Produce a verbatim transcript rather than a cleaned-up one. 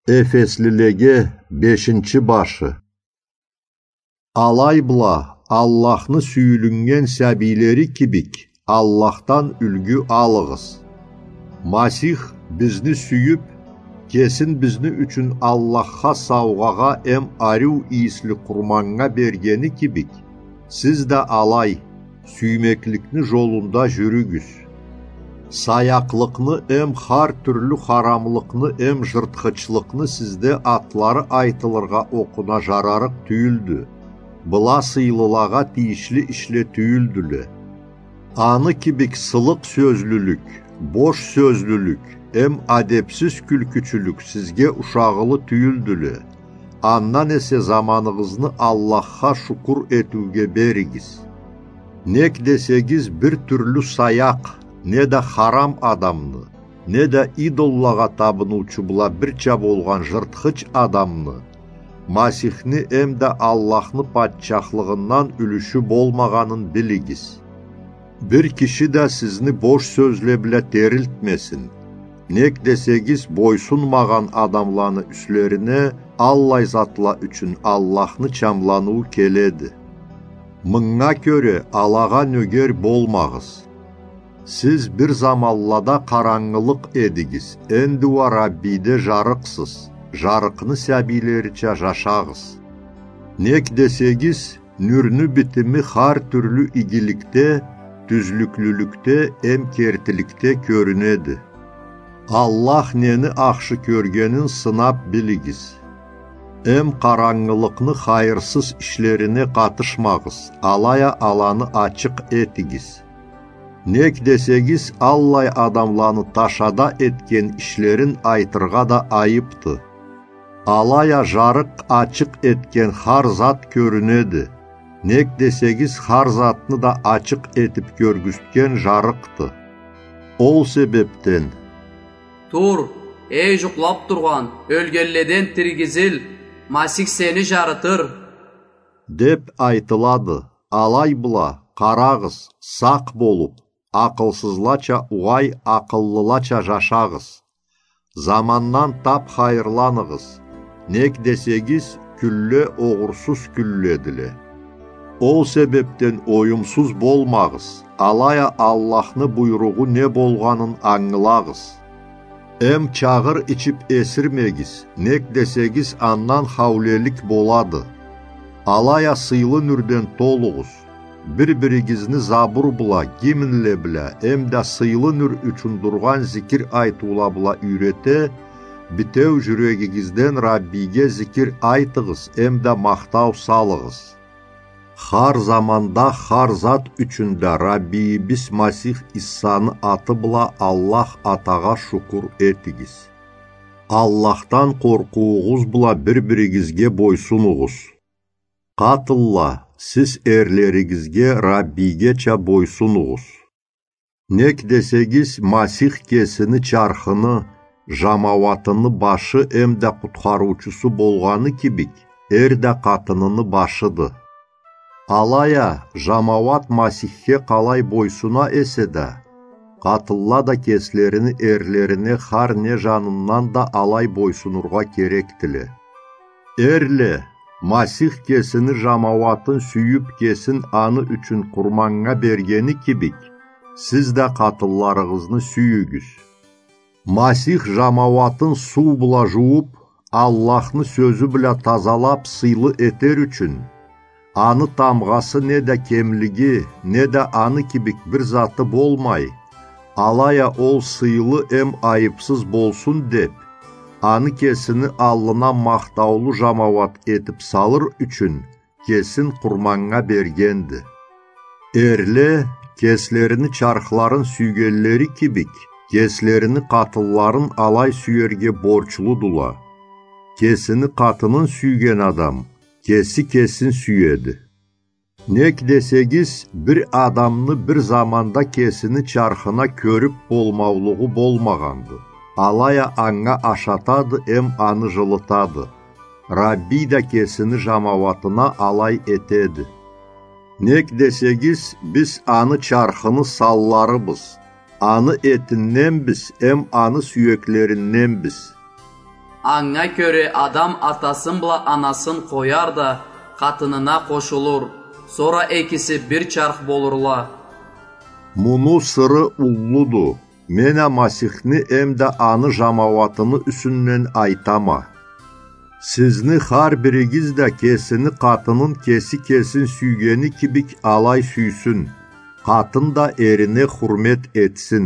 Эфеслилеге бешинчи башы. Алай бла, Аллахны сюйюлюннген сабийлери кибик, Аллахдан юлгю алыгъыз. Масих бизни сюйюп, кесин бизни ючюн Аллахха саугъагъа эм ариу ийисли къурманнга бергени кибик, сиз да алай, сюймекликни жолунда жюрюгюз. Саякълыкъны эм хар тюрлю харамлыкъны эм жыртхычлыкъны сизде атлары айтылыргъа окъуна жарарыкъ тюйюлдю. Была сыйлылагъа тийишли ишле тюйюлдюле. Аны кибик сылыкъ сёзлюлюк, бош сёзлюлюк эм адепсиз кюлкючюлюк сизге ушагъылы тюйюлдюле. Андан эсе заманыгъызны Аллахха шукур этиуге беригиз. Нек десегиз, бир тюрлю саякъ, неда харам адамны, неда идоллагъа табыныучу бла бирча болгъан жыртхыч адамны, Масихни эмда Аллахны патчахлыгъындан юлюшю болмагъанын билигиз. Бир киши да сизни бош сёзле бла терилтмесин. Нек десегиз, бойсунмагъан адамланы юслерине аллай затла ючюн Аллахны чамланыуу келеди. Мынга кёре алагъа нёгер болмагъыз. Сиз бир заманлада къарангылыкъ эдигиз, энди уа Раббиде жарыкъсыз, жарыкъны сабийлерича жашагъыз. Нек десегиз, нюрню битими хар тюрлю игиликде, тюзлюклюлюкде эм кертиликде кёрюнеди. Аллах нени ахшы кёргенин сынап билигиз. Эм къарангылыкъны хайырсыз ишлерине къатышмагъыз, алай а аланы ачыкъ этигиз. Нек десегиз, аллай адамланы ташада этген ишлерин айтыргъа да айыпды. Алай а жарыкъ ачыкъ этген хар зат кёрюнеди. Нек десегиз, хар затны да ачыкъ этип кёргюзтген жарыкъды. Ол себепден: «Тур, эй жукълап тургъан, ёлгенледен тиргизил, Масих сени жарытыр», — деп айтылады. Алай бла, къарагъыз, сакъ болуп, акъылсызлача угъай, акъыллылача жашагъыз. Замандан тап хайырланыгъыз, нек десегиз, кюнле огъурсуз кюнледиле. Ол себепден оюмсуз болмагъыз, алай а Аллахны буйругъу не болгъанын ангылагъыз. Эм чагъыр ичип эсирмегиз, нек десегиз, андан хаулелик болады. Алай а сыйлы нюрден толугъуз. Бир-биригизни забур бла, гимнле бла эмда сыйлы нюр ючюн дургъан зикир айтыула бла юйрете, битеу жюрегигизден Раббиге зикир айтыгъыз эмда махтау салыгъыз. Хар заманда хар зат ючюн да Раббийибиз Масих Иссаны аты бла Аллах Атагъа шукур этигиз. Аллахдан къоркъуугъуз бла бир-биригизге бойсунугъуз. Къатынла, сиз эрлеригизге Раббийгеча бойсунугъуз. Нек десегиз, Масих кесини чархыны, жамауатыны башы эмда къутхарыучусу болгъаны кибик, эр да къатыныны башыды. Алай а, жамауат Масихге къалай бойсуна эсе да, къатынла да кеслерини эрлерине хар не жанындан да алай бойсунургъа керекдиле. Эрле, Масих кесини жамауатын сюйюп, кесин аны ючюн къурманнга бергени кибик, сиз да къатынларыгъызны сюйюгюз. Масих жамауатын суу бла жууп, Аллахны сёзю бла тазалап сыйлы этер ючюн, аны тамгъасы неда кемлиги, неда аны кибик бир заты болмай, алай а ол сыйлы эм айыпсыз болсун деп, аны кесини аллына махтаулу жамауат этип салыр ючюн, кесин къурманнга бергенди. Эрле, кеслерини чархларын сюйгенлери кибик, кеслерини къатынларын алай сюерге борчлудула. Кесини къатынын сюйген адам кеси кесин сюеди. Нек десегиз, бир адамны бир заманда кесини чархына кёрюп болмаулугъу болмагъанды. Алай а анга ашатады эм аны жылытады. Раббий да кесини жамауатына алай этеди. Нек десегиз, биз аны чархыны санларыбыз, аны этинденбиз эм аны сюеклеринденбиз. Анга кёре адам атасын бла анасын къояр да, къатынына къошулур, сора экиси бир чарх болурла. Муну сыры уллуду. Мен а Масихни эмда аны жамауатыны юсюнден айтама. Сизни хар биригиз да кесини къатынын кеси кесин сюйгени кибик алай сюйсюн. Къатын да эрине хурмет этсин.